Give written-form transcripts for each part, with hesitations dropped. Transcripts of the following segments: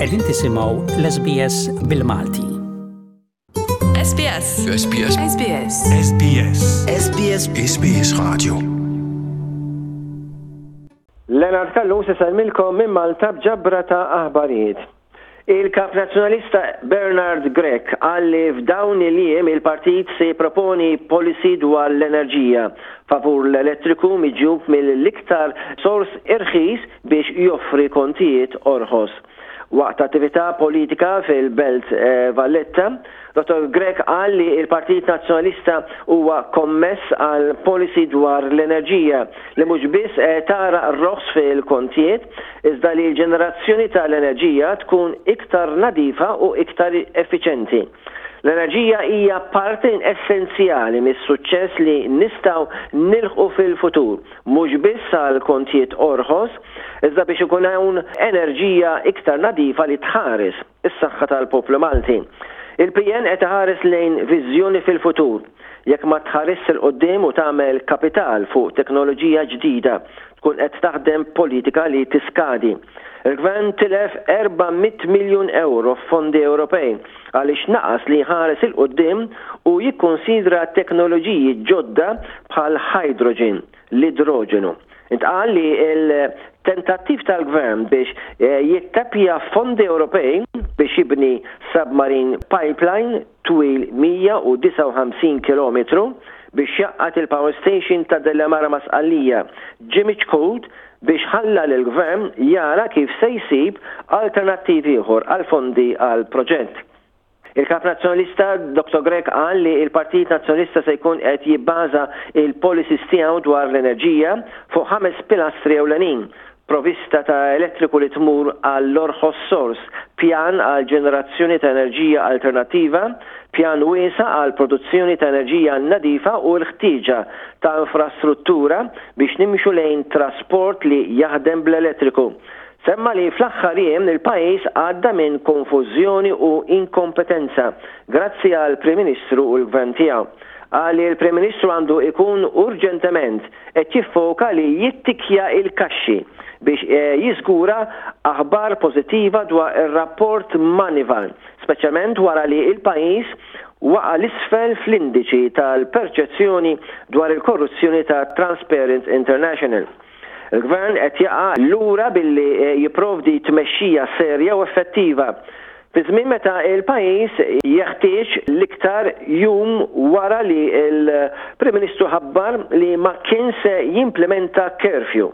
Qegħdin tisimgħu l-SBS bil-Malti. SBS. SBS. SBS. SBS. SBS. SBS Radio. Leonard Callus isellmilkom minn Malta b'ġabra ta' aħbarijiet. Il-Kap Nazzjonalista Bernard Grech qal li f'dawn il-jiem il-partit se jipproponi policy dwar l-enerġija favur l-elettriku miġjub mill-iktar sors irħis biex joffri kontijiet orħos. Waqt attività politika fil-Belt Valletta, Dottor Grech qal li l-Partit Nazzjonalista huwa kommess għal policy dwar l-enerġija li mhux biss tara roħs fil-kontijiet, iżda li l-ġenerazzjoni tal-enerġija tkun iktar nadifa u iktar effiċenti. L-enerġija hija parti essenzjali mis-suċċess li nistgħu nilħqu fil-futur, mhux biss għal kontijiet orħos, iżda biex ikun hawn enerġija iktar nadifa li tħares is-saħħa tal-poplu Malti. Il-PN qed iħares lejn viżjoni fil-futur. Jekk ma tħarisx 'il quddiem u tagħmel kapital fuq teknoloġija ġdida, tkun qed taħdem politika li tiskadi. Il-Gvern tilef 400 miljun ewro f'fondi Ewropej għaliex naqas li jħares 'il quddiem u jikkunsidra teknoloġiji ġodda bħall-hydrogen, l-idroġenu. Intqal li l-tentattiv tal-Gvern biex jittapja fondi Ewropej biex jibni submarine pipeline twil 159 kilometru biex jgħaqqad il-power station ta' Delimara ma' Sqallija ġie miċħud biex ħalla lill-Gvern jara kif se jsib alternattiv ieħor għall-fondi għall-proġett. Il-Kap Nazzjonalista Dottor Grech qal li l-Partit Nazzjonalista se jkun qed jibbaża l-policies tiegħu dwar l-enerġija fuq ħames pilastri ewlenin, provista ta' elettriku li tmur għall-orħos sors, pjan għal ġenerazzjoni ta' enerġija alternattiva, pjan wiesa' għal produzzjoni ta' enerġija nadifa u l-ħtieġa ta' infrastruttura biex nimxu lejn trasport li jaħdem bl-elettriku. Semma li fl-aħħar jiem il-pajjiż għadda minn konfużjoni u inkompetenza grazzi għall-Prim Ministru u l-Gvern tiegħu. Qal li l-Prim Ministru għandu ikun urġentement qed jiffoka li jittikkja l-kaxxi biex jiżgura aħbar pożittiva dwar ir-rapport Moneyval, speċjalment wara li l-pajjiż waqa' 'l isfel fl-indiċi tal-perċezzjoni dwar il-korruzzjoni ta' Transparent International. Il-Gvern qed jaqa' lura billi jipprovdi tmexxija serja u effettiva fi żmien meta l-pajjiż jeħtieġ l-iktar jum wara li l-Prim Ministru ħabbar li ma kien se jimplimenta curfew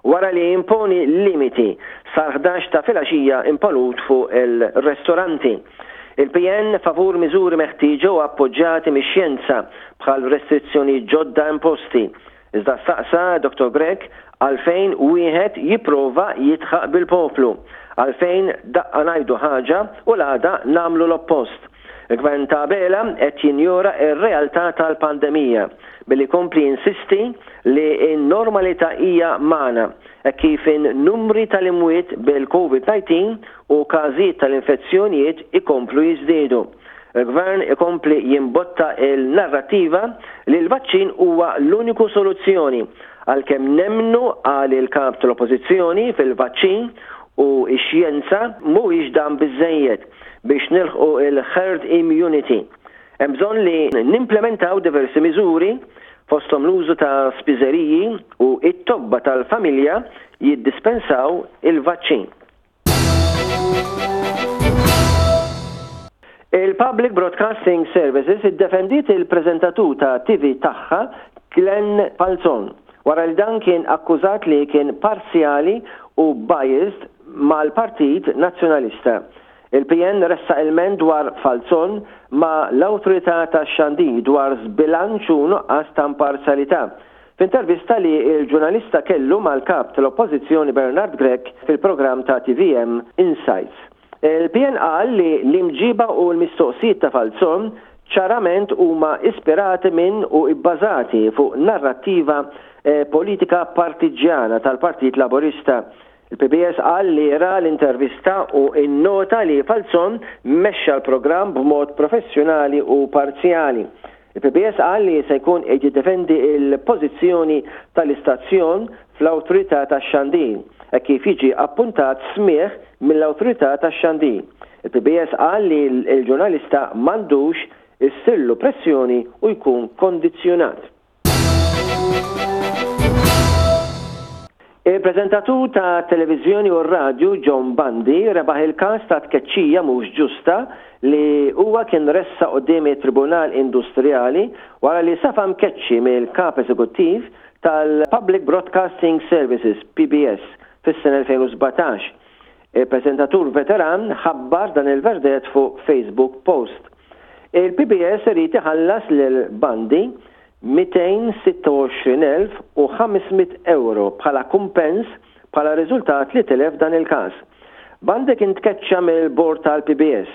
wara li imponi limiti sal-ħdax ta' filgħaxija imponut fuq il-restoranti. Il-PN favur miżuri meħtieġa u appoġġjati mix-xjenza bħal restrizzjonijiet ġodda imposti Iżda staqsa Dottor Grech għalfejn wieħed jipprova jidħaq bil-poplu? Għalfejn daqqa ngħidu ħaġa u l-għada nagħmlu l-oppost? Il-Gvern ta' Abela qed jinjora r-realtà tal-pandemija billi jkompli jinsisti li n-normalità hija magħna hekk kif in-numri tal-imwiet bil-Covid 19 u każijiet tal-infezzjonijiet ikomplu jiżdiedu. Il-Gvern ikompli jimbotta l-narrattiva li l-vaċċin huwa l-uniku soluzzjoni, għalkemm nemmnu, qal il-Kap tal-Oppożizzjoni, fil-vaċċin u x-xjenza, mhuwiex dan biżżejjed biex nilħqu l-herd immunity. Hemm bżonn li nimplementaw diversi miżuri, fosthom l-użu ta' spiżeriji u t-tobba tal-familja jiddispensaw il-vaċċin. Il-Public Broadcasting Services iddefendiet il-preżentatur ta' TV tagħha Glenn Falzon wara li dan kien akkużat li kien parzjali u biased mal-Partit Nazzjonalista. Il-PN ressaq ilment dwar Falzon ma' l-Awtorità tax-Xandir dwar żbilanċ u nuqqas ta' imparzjalità F'intervista li l-ġurnalista kellu mal-Kap tal-Oppożizzjoni Bernard Grech fil-programm ta' tvm Insights, il-PN qal li l-imġiba u l-mistoqsijiet ta' Falzon ċarament huma ispirati minn u bbażati fuq narrattiva politika partiġġjana tal-Partit Laburista. Il-PBS qal li ra l-intervista u nnota li Falzon mexxa l-programm b'mod professjonali u parzjali. Il-PBS qal li se jkun qed jiddefendi l-pożizzjoni tal-istazzjon fl-Awtorità tax-Xandir hekk kif jiġi appuntat smigħ mill-Awtorità tax-Xandir. Il-PBS qal li l-ġurnalista m'għandux issirlu pressjoni u jkun kondizzjonat. Il-preżentatur ta' televiżjoni u r-radju John Bundy rebaħ il-każ ta' tkeċċija mhux ġusta li huwa kien ressaq quddiem it-Tribunal Industrijali wara li safa mkeċċi mill-Kap Eżekuttiv tal-Public Broadcasting Services, PBS, fis-sena 2017. Il-preżentatur veteran ħabbar dan il-verdett fuq Facebook post. Il-PBS irid iħallas lil Bundy 226,500 ewro bħala kumpens bħala riżultat li tilef dan il-każ. Bundy kien tkeċċa mill-bord tal-PBS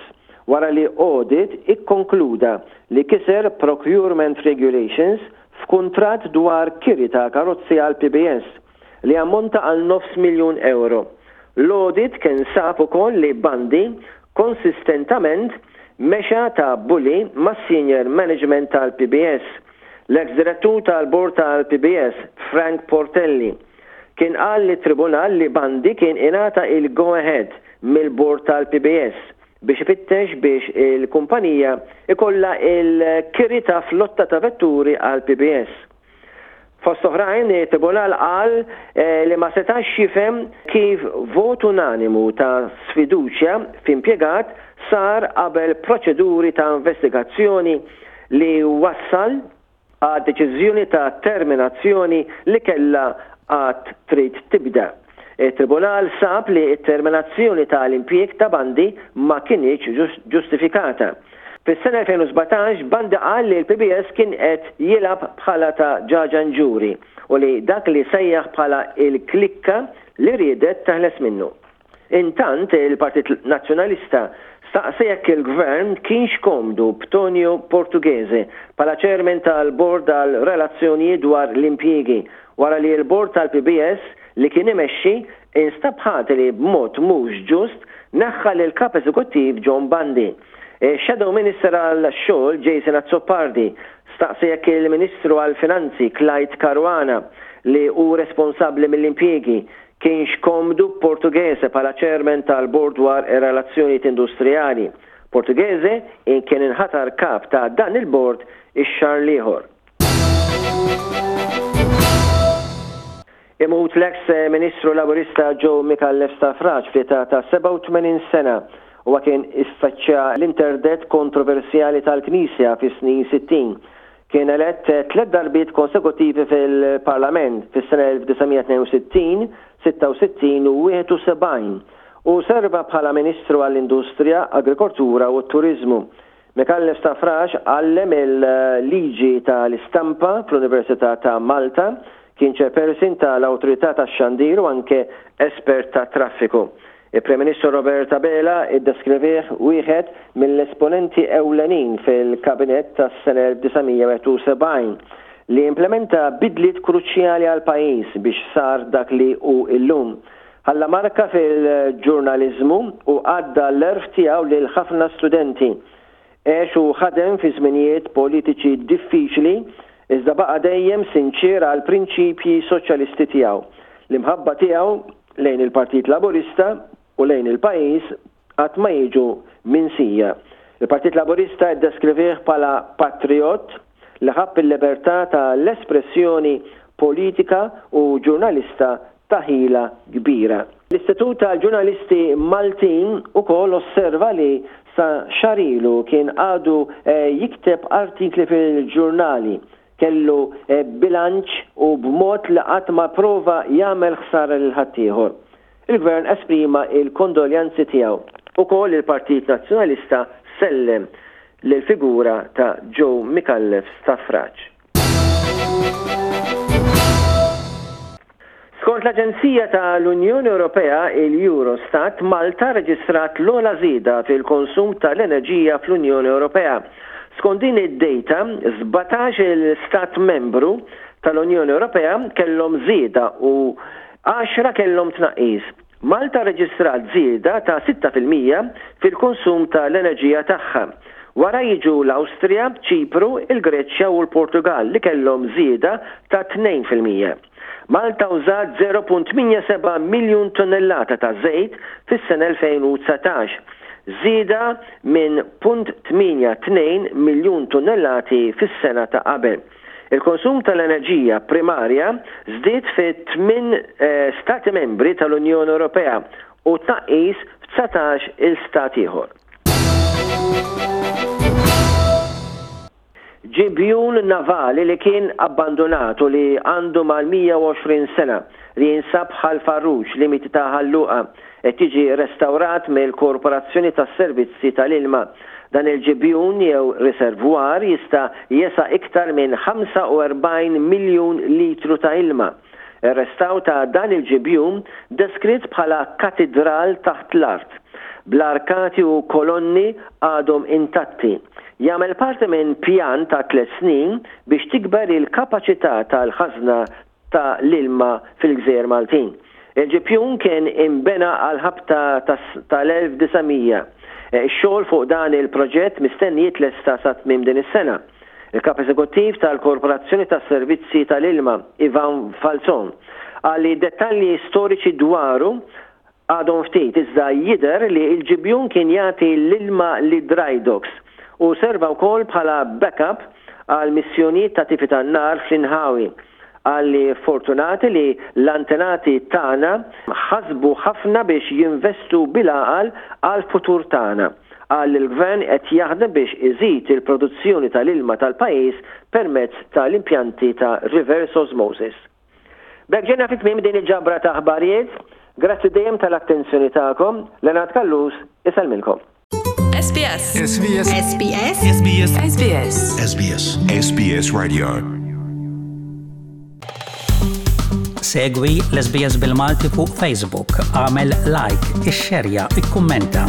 wara li audit ikkonkluda li kiser procurement regulations f'kuntratt dwar kiri ta' karozzi għall-PBS. li jammonta għal nofs miljun ewro. L-audit kien sab ukoll li Bundy konsistentament mexa ta' bully mas-senior management tal-PBS. L-eks direttur tal-bord tal-PBS, Frank Portelli, kien qal lit-tribunal li Bundy kien ingħata il-go ahead mill-bord tal-PBS biex ifittex biex il-kumpanija jkollha l-kiri ta' flotta ta' vetturi għall-PBS. Fost oħrajn, it-Tribunal qal li ma setax jifhem kif vot unanimu ta' sfiduċja f'impjegat sar qabel proċeduri ta' investigazzjoni li wassal għad-deċiżjoni ta' terminazzjoni li kellha għad trid tibda. It-Tribunal sab li t-terminazzjoni ta' l-impjieg ta' Bundy ma kinitx ġustifikata. Fis-sena 2017, Bundy qal li l-PBS kien qed jilgħab bħala ta' ġaġanġuri u li dak li sejjaħ bħala il-klikka li riedet teħles minnu. Intant, il-Partit Nazzjonalista staqsa jekk il-Gvern kienx komdu b'Tonio Portughese bħala Chairman tal-Bord għal Relazzjonijiet dwar l-Impjiegi wara li l-Bord tal-PBS li kien imexxi instab ħati li b'mod mhux ġust neħħa lill-Kap Eżekuttiv John Bundy. Ix-Shadow Minister għall-Xogħol Jason Azzopardi staqsa jekk il-Ministru għall-Finanzi Clyde Caruana li hu responsabbli mill-impjiegi kienx komdu b'Portughese bħala Chairman tal-Bord dwar ir-Relazzjonijiet Industrijali. Portughese kien inħatar kap ta' dan il-bord ix-xahar l-ieħor. Imut l-eks Ministru Laburista Joe Micallef Stafrace fl-età ta' 87 sena. Huwa kien iffaċċja l-interdett kontroversjali tal-Knisja fis-snin 60. Kien elett tliet darbiet konsekuttivi fil-Parlament, fis-sena 1962, 66 u 71, u serva bħala Ministru għall-Industrija, Agrikoltura u t-Turiżmu. Micallef Stafrace għallem il-Liġi ta' l-Istampa fl-Università ta' Malta, kien Chairperson ta' l-Awtorità tax-Xandir u anke espert tat-traffiku. Il-Prim Ministru Robert Abela iddeskrivih wieħed mill-esponenti ewlenin fil-Kabinett tas-sena 1971 li implementa bidliet kruċjali għall-pajjiż biex sar dak li hu illum. Ħalla marka fil-ġurnaliżmu u għadda l-għerf tiegħu lil ħafna studenti. Għex u ħadem fi żminijiet politiċi diffiċli iżda baqa' dejjem sinċier għall-prinċipji soċjalisti tiegħu. L-imħabba tiegħu lejn il-Partit Laburista u lejn il-pajjiż qatt ma jiġu minsija. Il-Partit Laburista ddeskrivih bħala patrijott li ħabb il-libertà ta' l-espressjoni politika u ġurnalista ta' ħila kbira. L-Istitut tal-Ġurnalisti Maltin ukoll osserva li sa xahar ilu kien għadu jikteb artikli fil-ġurnali, kellu bilanċ u b'mod li qatt ma pprova jagħmel ħsara lil ħaddieħor. Il-Gvern esprima l-kondoljanzi tiegħu. Ukoll il-Partit Nazzjonalista sellem lill-figura ta' Joe Micallef Stafrace. Skont l-Aġenzija ta' l-Unjoni Ewropea, il-Eurostat, Malta rreġistrat l-ogħla żieda fil-konsum ta' l-enerġija fl-Unjoni Ewropea. Skont din id-dejta, 17-il stat membru tal-Unjoni Ewropea kellhom żieda u għaxra kellhom tnaqqis. Malta rreġistrat żieda ta' 6% fil-konsum ta' l-enerġija tagħha. Wara jiġu l-Awstrija, Ċipru, il-Greċja u l-Portugall li kellhom żieda ta' 2%. Malta użat 0.87 miljun tunnellata ta' żejt fis-sena 2019, żieda minn punt 82 miljun tunnellati fis-sena ta' qabel. Il-konsum tal-enerġija primarja żdied fi tminn Stati Membri tal-Unjoni Ewropea u tnaqqis f'dsatax il stat ieħor. Ġibjun navali li kien abbandunat u li għandu mal-120 sena, li jinsab Ħal Farruġ, limiti ta' Ħal Luqa, qed jiġi restawrat mill-Korporazzjoni tas-Servizzi tal-Ilma. Dan il-ġibjun jew riservwar jista' jesa' iktar minn 45 miljun litru ta' ilma. Ir-restawr ta' dan il-ġibjun deskritt bħala katidral taħt l-art, bl-arkati u kolonni għadhom intatti, jagħmel parti minn pjan ta' tliet snin biex tikber il-kapaċità tal-ħażna ta' l-ilma fil-gżejjer Maltin. Il-ġibjun kien inbena għall-ħabta tal-1900. Ix-xogħol fuq dan il-proġett mistenni jitlesta sa tmiem din is-sena. Il-Kap Eżekuttiv tal-Korporazzjoni tas-Servizzi tal-Ilma, Ivan Falzon, qal li dettalji storiċi dwaru għadhom ftit iżda jidher li l-ġibjun kien jagħti l-ilma lid-dry docks u serva wkoll bħala backup għal missjonijiet ta' tifi tan-nar fl-inħawi. Qal li fortunati li l-antenati tagħna ħasbu ħafna biex jinvestu bil-għaqal għall-futur tagħna. Qal li l-Gvern qed jaħdem biex iżid il-produzzjoni tal-ilma tal-pajjiż permezz tal-impjanti ta' reverse osmosis. B'hekk ġejna fi tmiem din il-ġabra ta' aħbarijiet. Grazzi dejjem tal-attenzjoni tagħkom. Leonard Callus isellmilkom. SBS. SBS. SBS. SBS. SBS. SBS. SBS Radio. Segwi l-SBS bil-Malti fuq Facebook, għamel like, ixxerja, ikkummenta.